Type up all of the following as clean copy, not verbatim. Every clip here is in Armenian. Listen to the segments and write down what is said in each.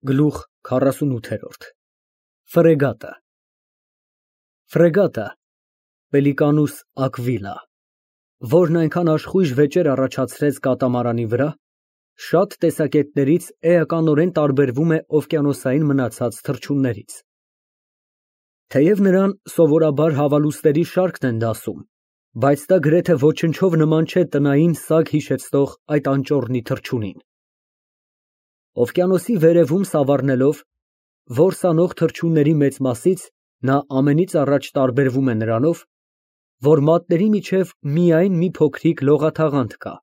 Գլուխ 48 Ֆրեգատը Ֆրեգատը Պելիկանուս ակվիլա, որն այնքան աշխույժ վեճեր առաջացրեց կատամարանի վրա, շատ տեսակետներից էականորեն տարբերվում է օվկիանոսային մնացած թռչուններից։ Թեև նրան սովորաբար հավալուստերի շարքն են դասում, բայց դա գրեթե ոչնչով նման չէ տնային սագ հիշեցնող այդ անճոռնի թռչունին։ Օվկիանոսի վերևում սավառնելով, որս անող թռչունների մեծ մասից նա ամենից առաջ տարբերվում է նրանով, որ մատների միջև միայն մի փոքրիկ լողաթաղանթ կա,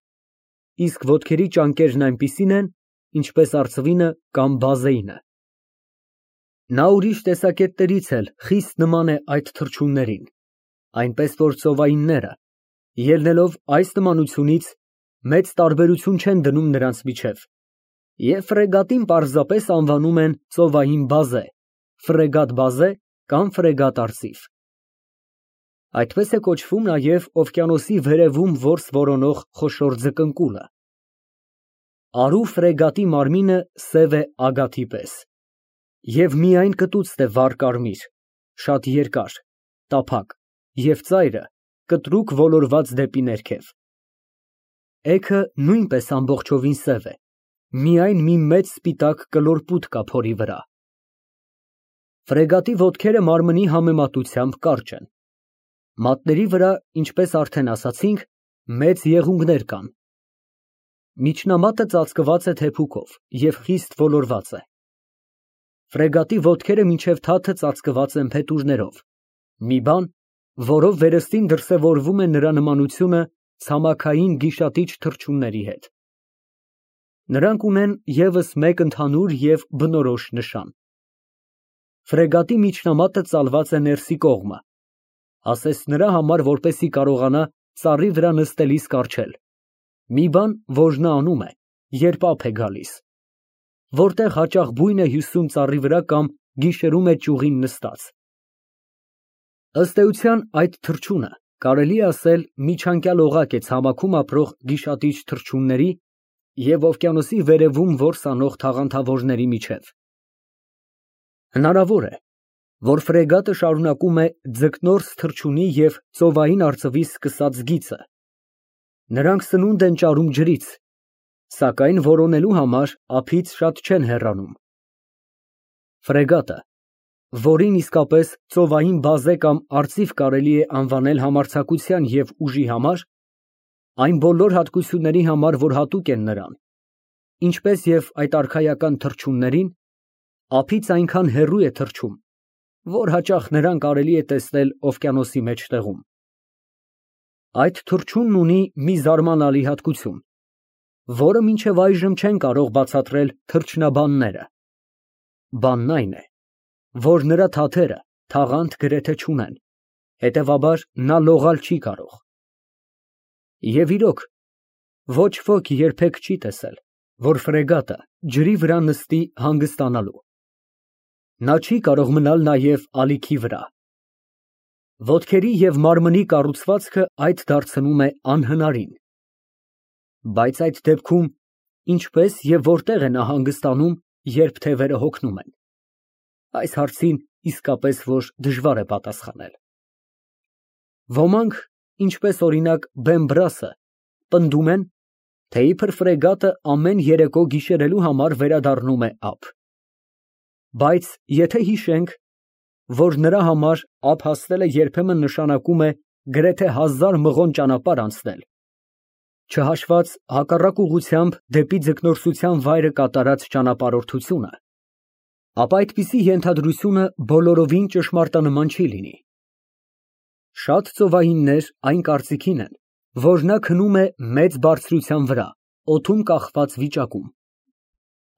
իսկ ոտքերի ճանկերն այնպիսին են, ինչպես արծվինը կամ բազեինը։ Նա ուրիշ տեսակետներից էլ խիստ նման է այդ թռչուններին, այնպես որ ծովայինները, ելնելով այս նմանությունից, մեծ տարբերություն չեն դնում նրանց միջև, և ֆրեգատին պարզապես անվանում են ծովային բազե, ֆրեգատ բազե կամ ֆրեգատ արծիվ։ Այդպես է կոչվում նաև օվկիանոսի վերևում որս որոնող խոշոր ձկնկուլը։ Արու ֆրեգատի մարմինը սև է ագաթի պես և միայն կտուցն է վառ կարմիր, շատ երկար, տափակ և ծայրը կտրուկ ոլորված դեպի ներքև։ Էգը նույնպես ամբողջովին սև է, միայն մի մեծ սպիտակ կլոր պուտ կա փորի վրա։ Ֆրեգատի ոտքերը մարմնի համեմատությամբ կարճ են։ Մատների վրա, ինչպես արդեն ասացինք, մեծ եղունգներ կան։ Միջնամատը ծածկված է թեփուկով և խիստ ոլորված է։ Ֆրեգատի ոտքերը մինչև թաթը ծածկված են փետուրներով, մի բան, որով վերստին դրսևորվում է նրա նմանությունը ցամաքային գիշատիչ թռչունների հետ։ Նրանք ունեն ևս մեկ ընդհանուր և բնորոշ նշան։ Ֆրեգատի միջնամատը ծալված է ներսի կողմը, ասես նրա համար, որպեսզի կարողանա ծառի վրա նստելիս կառչել, մի բան, որ նա անում է, երբ ափ է գալիս, որտեղ հաճախ բույն է հյուսում ծառի վրա կամ գիշերում է ճյուղին նստած։ Ըստ էության այդ թռչունը, կարելի է ասել, միջանկյալ օղակ է ցամաքում ապրող գիշատիչ թռչունների և օվկիանոսի վերևում որս անող թաղանթավորների միջև։ Հնարավոր է, որ ֆրեգատը շարունակում է ձկնորս թռչունի և ծովային արծվի սկսած գիծը։ Նրանք սնունդ են ճարում ջրից, սակայն որոնելու համար ափից շատ չեն հեռանում։ Ֆրեգատը, որին իսկապես ծովային բազե կամ արծիվ կարելի է անվանել համարձակության և ուժի համար, այն բոլոր հատկությունների համար, որ հատուկ են նրան, ինչպես և այդ արքայական թռչուններին, ափից այնքան հեռու է թռչում, որ հաճախ նրան կարելի է տեսնել օվկիանոսի մեջտեղում։ Այդ թռչունն ունի մի զարմանալի հատկություն, որը մինչև այժմ չեն կարող բացատրել թռչնաբանները։ Բանն այն է, որ նրա թաթերը թաղանթ գրեթե չունեն, հետևաբար նա լողալ չի կարող։ Եվ իրոք, ոչ ոք երբեք չի տեսել, որ ֆրեգատը ջրի վրա նստի հանգստանալու։ Նա չի կարող մնալ նաև ալիքի վրա։ Ոտքերի և մարմնի կառուցվածքը այդ դարձնում է անհնարին։ Բայց այդ դեպքում ինչպես և որտեղ է նա հանգստանում, երբ թևերը հոգնում են։ Այս հարցին իսկապես որ դժվար է պատասխանել։ Ոմանք, ինչպես օրինակ Բեմբրասը, պնդում են, թե իբր ֆրեգատը ամեն երեկո գիշերելու համար վերադառնում է ափ։ Բայց եթե հիշենք, որ նրա համար ափ հասնելը երբեմն նշանակում է գրեթե 1000 մղոն ճանապարհ անցնել, չհաշված հակառակ ուղղությամբ դեպի ձկնորսության վայրը կատարած ճանապարհորդությունը, ապա այդպիսի ենթադրությունը բոլորովին ճշմարտանման չի լինի։ Շատ ծովայիններ այն կարծիքին են, որ նա քնում է մեծ բարձրության վրա, օդում կախված վիճակում։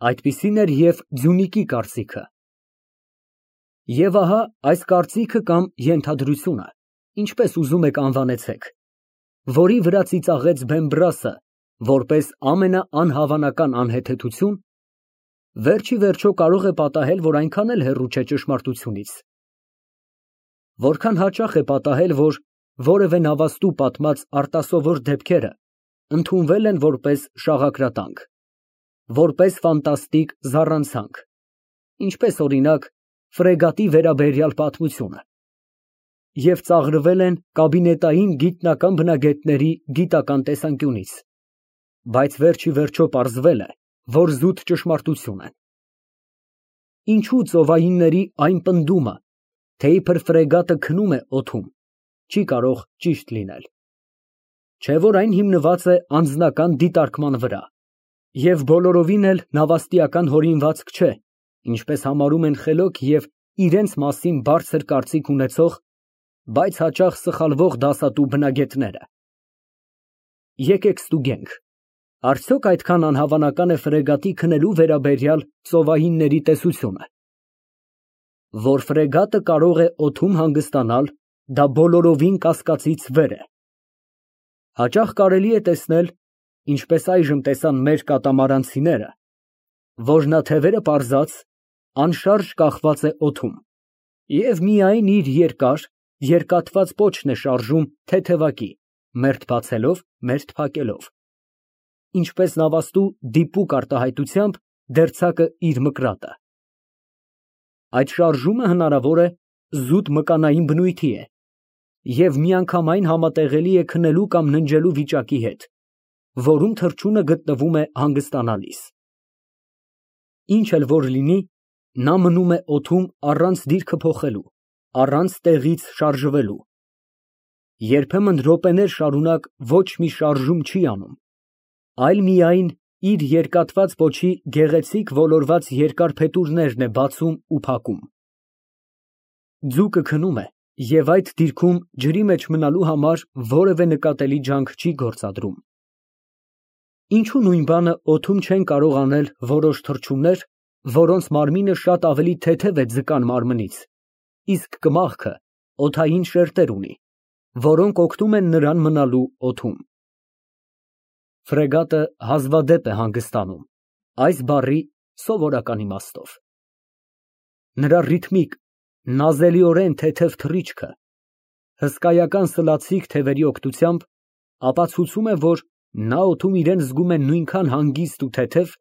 Այդպիսին էր և Ձյունիկի կարծիքը։ Եվ ահա այս կարծիքը կամ ենթադրությունը, ինչպես ուզում եք անվանեցեք, որի վրա ծիծաղեց Բեմբրասը, որպես ամենաանհավանական անհեթեթություն, վերջ ի վերջո կարող է պատահել, որ այնքան էլ հեռու չէ ճշմարտությունից։ Որքան հաճախ է պատահել, որ որևէ նավաստու պատմած արտասովոր դեպքերը ընդունվել են որպես շաղակրատանք, որպես ֆանտաստիկ զառանցանք, ինչպես օրինակ ֆրեգատի վերաբերյալ պատմությունը, և ծաղրվել են կաբինետային գիտնական բնագետների գիտական տեսանկյունից, բայց վերջիվերջո պարզվել է, որ զուտ ճշմարտություն են։ Ինչու ծովայինների այն պնդումը, թե իբր ֆրեգատը քնում է օդում, չի կարող ճիշտ լինել, չէ՞ որ այն հիմնված է անձնական դիտարկման վրա, և բոլորովին էլ նավաստիական հորինվածք չէ, ինչպես համարում են խելոք և իրենց մասին բարձր կարծիք ունեցող, բայց հաճախ սխալվող դասատու բնագետները։ Եկեք ստուգենք, արդյոք այդքան անհավանական է ֆրեգատի քնելու վերաբերյալ ծովայինների տեսությունը։ Որ ֆրեգատը կարող է օդում հանգստանալ, դա բոլորովին կասկածից վեր է։ Հաճախ կարելի է տեսնել, ինչպես այժմ տեսան մեր կատամարանցիները, որ նա թևերը պարզած, անշարժ կախված է օդում և միայն իր երկար, երկաթված պոչն է շարժում թեթևակի, մերթ բացելով, մերթ փակելով, ինչպես նավաստու դիպուկ արտահայտությամբ դերձակը իր մկրատը։ Այդ շարժումը հնարավոր է զուտ մկանային բնույթի է և միանգամայն համատեղելի է քնելու կամ ննջելու վիճակի հետ, որում թռչունը գտնվում է հանգստանալիս։ Ինչ էլ որ լինի, նա մնում է օդում առանց դիրքը փոխելու, առանց տեղից շարժվելու։ Երբեմն րոպեներ շարունակ ոչ մի շարժում չի անում, այլ միայն իր երկաթված պոչի գեղեցիկ ոլորված երկար փետուրներն է բացում ու փակում։ Ձուկը քնում է և այդ դիրքում ջրի մեջ մնալու համար որևէ նկատելի ջանք չի գործադրում։ Ինչու նույն բանը օդում չեն կարող անել որոշ թռչուններ, որոնց մարմինը շատ ավելի թեթև է ձկան մարմնից, իսկ կմախքը օդային շերտեր ունի, որոնք օգնում են նրան մնալու օդում։ Ֆրեգատը հազվադեպ է հանգստանում այս բառի սովորական իմաստով։ Նրա ռիթմիկ, նազելիորեն թեթև թռիչքը, հսկայական սլացիկ թևերի օգնությամբ ապացուցում է, որ նա օդում իրեն զգում է նույնքան հանգիստ ու թեթև,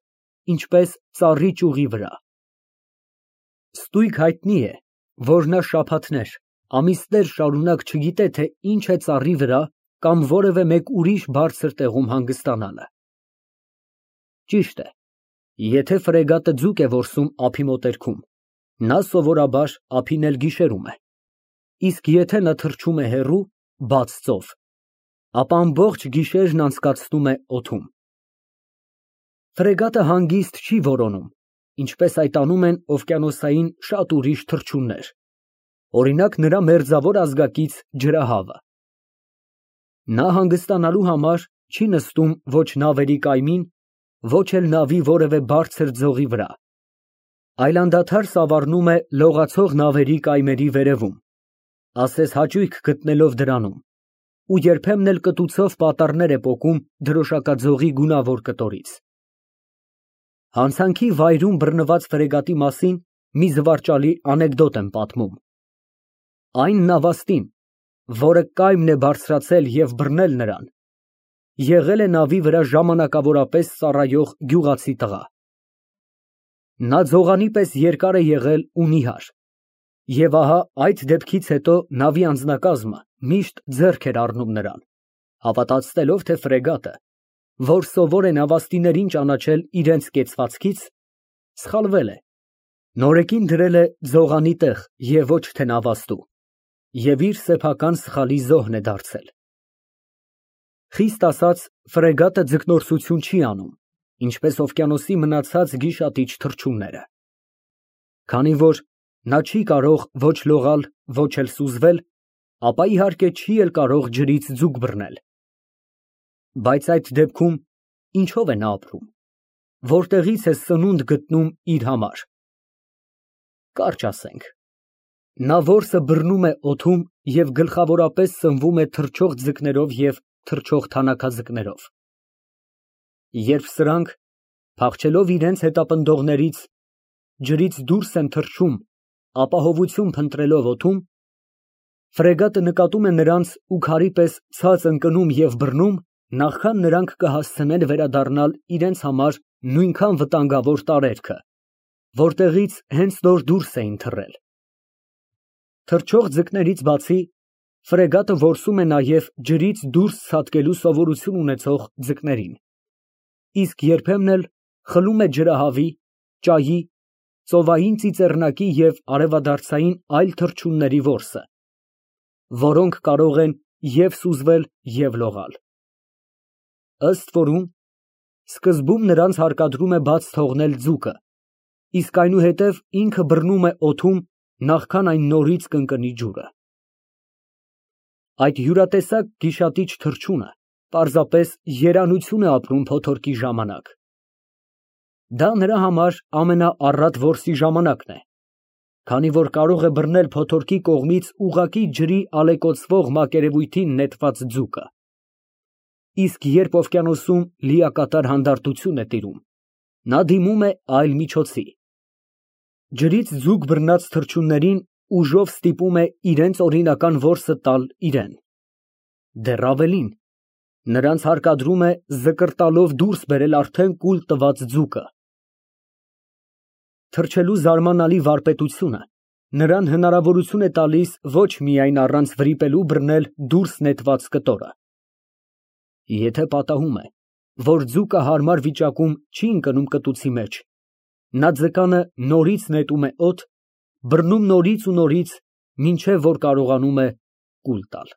ինչպես ծառի ճյուղի վրա։ Ստույգ հայտնի է, որ նա շաբաթներ, ամիսներ շարունակ չգիտե, թե ինչ է ծառի վրա կամ որևէ մեկ ուրիշ բարձր տեղում հանգստանալը։ Ճիշտ է, եթե ֆրեգատը ձուկ է որսում ափի մոտերքում, նա սովորաբար ափին էլ գիշերում է, իսկ եթե նա թռչում է հեռու, բաց ծով, ապա ամբողջ գիշերն անցկացնում է օդում։ Ֆրեգատը հանգիստ չի որոնում, ինչպես այդ անում են օվկիանոսային շատ ուրիշ թռչուններ, օրինակ նրա մերձավոր ազգակից ջրահավը։ Նա հանգստանալու համար չի նստում ոչ նավերի կայմին, ոչ էլ նավի որևէ բարձր ձողի վրա, այլ անդադար սավառնում է լողացող նավերի կայմերի վերևում, ասես հաճույք գտնելով դրանում, ու երբեմն էլ կտուցով պատառներ է պոկում դրոշակաձողի գունավոր կտորից։ Հանցանքի վայրում բռնված ֆրեգատի մասին մի զվարճալի անեկդոտ եմ պատմում։ Այն նավաստին, որը կայմն է բարձրացել և բռնել նրան, եղել է նավի վրա ժամանակավորապես ծառայող գյուղացի տղա։ Նա ձողանի պես երկար է եղել ու նիհար, և ահա այդ դեպքից հետո նավի անձնակազմը միշտ ձեռք էր առնում նրան, հավատացնելով, թե ֆրեգատը, որ սովոր է նավաստիներին ճանաչել իրենց կեցվածքից, սխալվել է, նորեկին դրել է ձողանի տեղ և ոչ թե նավաստու, և իր սեփական սխալի զոհն է դարձել։ Խիստ ասած, ֆրեգատը ձկնորսություն չի անում, ինչպես օվկիանոսի մնացած գիշատիչ թռչունները։ Քանի որ նա չի կարող ոչ լողալ, ոչ էլ սուզվել, ապա իհարկե չի էլ կարող ջրից ձուկ բռնել։ Բայց այդ դեպքում ինչո՞վ է նա ապրում, որտեղի՞ց է սնունդ գտնում իր համար։ Կարճ ասենք, նա որսը բռնում է օդում և գլխավորապես սնվում է թռչող ձկներով և թռչող թանաքաձկներով։ Երբ սրանք, փախչելով իրենց հետապնդողներից, ջրից դուրս են թռչում, ապահովություն փնտրելով օդում, ֆրեգատը նկատում է նրանց ու քարի պես ցած ընկնում և բռնում, նախքան նրանք կհասցնեն վերադառնալ իրենց համար նույնքան վտանգավոր տարերքը, որտեղից հենց նոր դուրս էին թռել։ Թռչող ձկներից բացի ֆրեգատը որսում է նաև ջրից դուրս ցատկելու սովորություն ունեցող ձկներին, իսկ երբեմն էլ խլում է ջրահավի, ճայի, ծովային ծիծեռնակի և արևադարձային այլ թռչունների որսը, որոնք կարող են և սուզվել, և լողալ։ Ըստ որում, սկզբում նրանց հարկադրում է բաց թողնել ձուկը, իսկ այնուհետև ինքը բռնում է օդում, նախքան այն նորից կընկնի ջուրը։ Այդ յուրատեսակ գիշատիչ թռչունը պարզապես երանություն է ապրում փոթորկի ժամանակ։ Դա նրա համար ամենաառատ որսի ժամանակն է, քանի որ կարող է բռնել փոթորկի կողմից ուղղակի ջրի ալեկոծվող մակերևույթին նետված ձուկը։ Իսկ երբ օվկիանոսում լիակատար հանդարտություն է տիրում, նա դիմում է այլ միջոցի։ Ջրից ձուկ բռնած թռչուններին ուժով ստիպում է իրենց օրինական որսը տալ իրեն։ Դեռ ավելին, նրանց հարկադրում է զկրտալով դուրս բերել արդեն կուլ տված ձուկը։ Թռչելու զարմանալի վարպետությունը նրան հնարավորություն է տալիս ոչ միայն առանց վրիպելու բռնել դուրս նետված կտորը։ Եթե պատահում է, որ ձուկը հարմար վիճակում չի ընկնում կտուցի մեջ, նա ձկանը նորից նետում է օդ, բռնում նորից ու նորից, մինչև որ կարողանում է կուլ տալ։